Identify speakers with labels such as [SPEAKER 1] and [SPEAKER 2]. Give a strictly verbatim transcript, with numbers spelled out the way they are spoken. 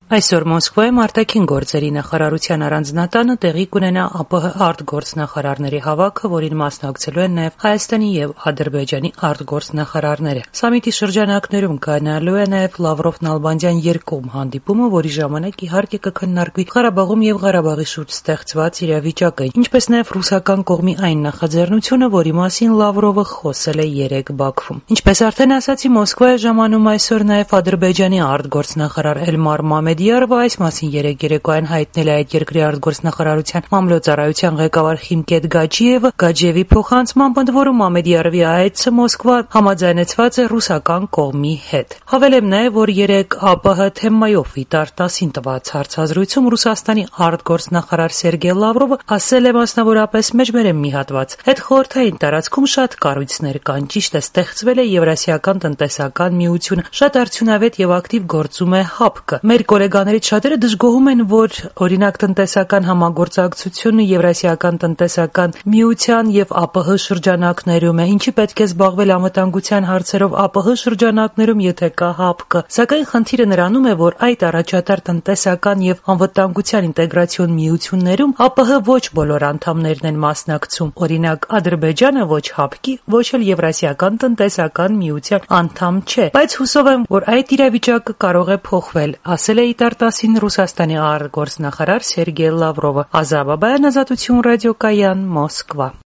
[SPEAKER 1] Այսօր Մոսկվայում արտաքին գործերի նախարարության առանձնատանը տեղի կունենա ԱՊՀ արտգործնախարարների հավաքը, որին մասնակցելու են նաև Հայաստանի եւ Ադրբեջանի արտգործնախարարները։ Սամիտի շրջանակներում կայանալու է նաև Լավրով-Նալբանդյան երկկողմ հանդիպումը, որի ժամանակ իհարկե կքննարկվի Ղարաբաղում եւ Ղարաբաղի շուրջ ստեղծված իրավիճակը, ինչպես նաև ռուսական կողմի այն նախաձեռնությունը, որի մասին Լավրովը խոսել է երեկ Բաքվում։ Ինչպես արդեն ասացի, Մոսկվա է ժամանում այսօր նաև Ադրբեջանի արտգործնախարար Էլմար Մամեդիարովը, այս մասին երեկ երեկոյան հայտնել է այդ երկրի արտգործնախարարության մամլոյցարայության ղեկավար Խիմկետ Գաջիևը։ Գաջիևի փոխանցմամբ ընդ որում Մամեդիարովի այցը Մոսկվա համաձայնեցված է ռուսական կողմի հետ։ Հավելեմ նաև, որ երեկ ԱՊՀ թեմայով Վիտար տասին տված հարցազրույցում Ռուսաստանի արտգործնախարար Սերգեյ Լավրովը ասել է մասնավորապես մեջբերեմ մի հատված. Հետխորհրդային տարածքում շատ կառույցներ կան, ճիշտ է, ստեղծվել է Եվրասիական տնտեսական միությունը, շատ արդյունավետ եւ ակտիվ գործում է ՀԱՊԿ։ Մեր գոլեգաներից շատերը դժգոհում են, որ օրինակ տնտեսական համագործակցությունը Եվրասիական տնտեսական միության եւ ԱՊՀ շրջանակներում է, ինչի պետք է զբաղվել անվտանգության հարցերով ԱՊՀ շրջանակներում, եթե կա ՀԱՊԿ։ Սակայն խնդիրը նրանում է, որ այդ առաջատար տնտեսական եւ անվտանգության ինտեգրացիոն միություններում ԱՊՀ ոչ բոլոր անդամներն են մասնակցում։ Օրինակ Ադրբեջանը ոչ ՀԱՊԿ-ի, ոչ էլ Եվրասիական տնտեսական միության անդամ չէ։ Բայց հուսով եմ, որ այդ իրավիճակը կարող է փոխվել, ասել է Վիտար տասին Ռուսաստանի արտգործնախարար Սերգեյ Լավրովը։ Ազա Բաբայան, Ազատություն ռադիոկայան, Մոսկվա։